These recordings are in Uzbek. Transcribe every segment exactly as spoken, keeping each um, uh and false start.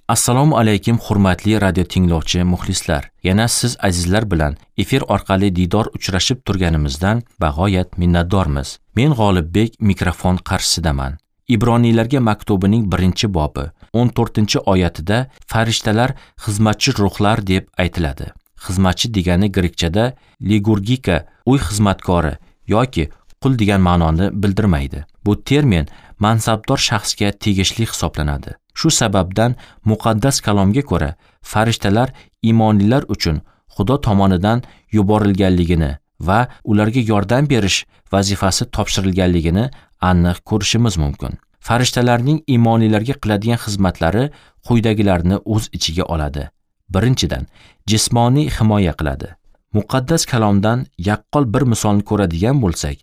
Assalomu alaykum hurmatli radio tinglovchi muxlislar. Yana siz azizlar bilan efir orqali diydor uchrashib turganimizdan bag'oyat minnatdormiz. Men G'olibbek mikrofon qarshisidaman. Ibroniylarga maktubining birinchi bobi o'n to'rtinchi oyatida farishtalar xizmatchi ruhlar deb aytiladi. Xizmatchi degani grekchada ligurgika, uy xizmatkori yoki qul degan ma'noni bildirmaydi. Bu termin mansabdor shaxsga tegishli hisoblanadi. Shu sababdan muqaddas kalomga ko'ra farishtalar iymonlilar uchun Xudo tomonidan yuborilganligini va ularga yordam berish vazifasi topshirilganligini aniq ko'rishimiz mumkin. Farishtalarning iymonlilarga qiladigan xizmatlari quyidagilarni o'z ichiga oladi. Birinchidan, jismoniy himoya qiladi. Muqaddas kalomdan yaqqol bir misolni ko'radigan bo'lsak,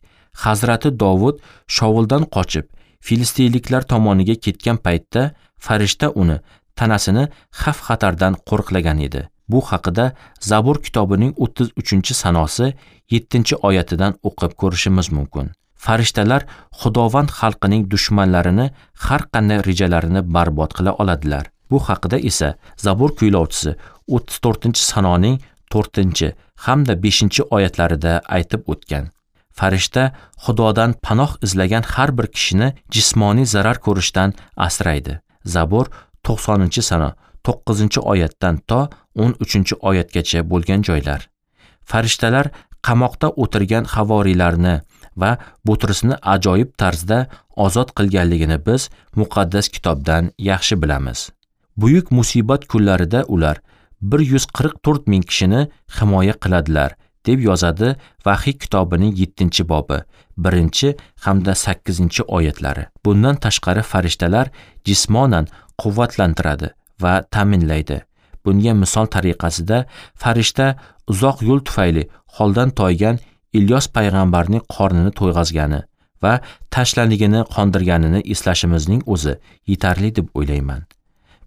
Hazrati Dovud Shovuldan qochib Filistinliklar tomoniga ketgan paytda farishta uni tanasini xavf-xatardan qo'riqlagan edi. Bu haqida Zabur kitobining o'ttiz uchinchi sanosi yettinchi oyatidan o'qib ko'rishimiz mumkin. Farishtalar Xudovand xalqining dushmanlarini har qanday rejalarini barbod qila oladilar. Bu haqida esa Zabur kuylovchisi o'ttiz to'rtinchi sanoning to'rtinchi hamda beshinchi oyatlarida aytib o'tgan. Farishta Xudodan panoh izlagan har bir kishini jismoniy zarar ko'rishdan asraydi. Zabur to'qsoninchi sano to'qqizinchi oyatdan to o'n uchinchi oyatgacha bo'lgan joylar. Farishtalar qamoqda o'tirgan havoriylarni va Butrusni ajoyib tarzda ozod qilganligini biz muqaddas kitobdan yaxshi bilamiz. Buyuk musibat kunlarida ular bir yuz qirq to'rt ming kishini himoya qiladilar, deb yozadi Vahiy kitobining yettinchi bobi, birinchi hamda sakkizinchi oyatlari. Bundan tashqari farishtalar jismonan quvvatlantiradi va ta'minlaydi. Bunga misol tariqasida farishta uzoq yo'l tufayli holdan toygan Ilyos payg'ambarning qornini to'yg'azgani va tashlanligini qondirganini eslashimizning o'zi yetarli deb o'ylayman.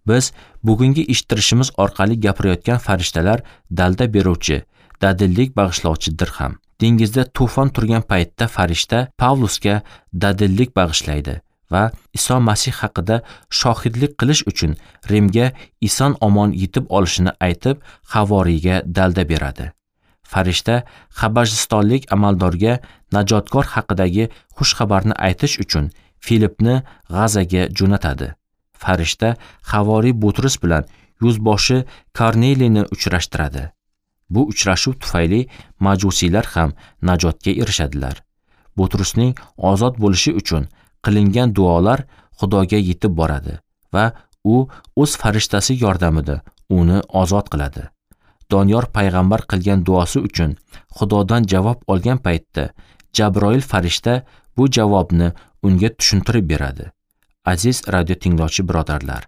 Biz bugungi eshittirishimiz orqali gapirayotgan farishtalar dalda beruvchi, dadillik bag'ishlovchidir ham. Dengizda to'fon turgan paytda farishta Pavlusga dadillik bag'ishlaydi va Iso Masih haqida shohidlik qilish uchun Rimga eson omon yetib olishini aytib, havoriyga dalda beradi. Farishta Habashistonlik amaldorga najotkor haqidagi xush xabarni aytish uchun Filipni G'azaga jo'natadi. Farishta havoriy Butrus bilan yuzboshi Korneliyni uchrashtiradi. Bu uchrashuv tufayli majusiylar ham najotga erishadilar. Butrusning ozod bo'lishi uchun qilingan duolar Xudoga yetib boradi va u o'z farishtasi yordamida uni ozod qiladi. Doniyor payg'ambar qilgan duosi uchun Xudodan javob olgan paytda Jabroil farishta bu javobni unga tushuntirib beradi. Aziz radio tinglovchi birodarlar,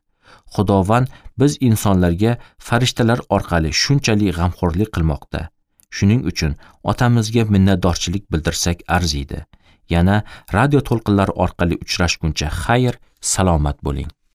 Xudovand biz insonlarga farishtalar orqali shunchalik g'amxo'rlik qilmoqda. Shuning uchun otamizga minnatdorchilik bildirsak arziydi. Yana radio to'lqinlari orqali uchrashguncha xayr, salomat bo'ling.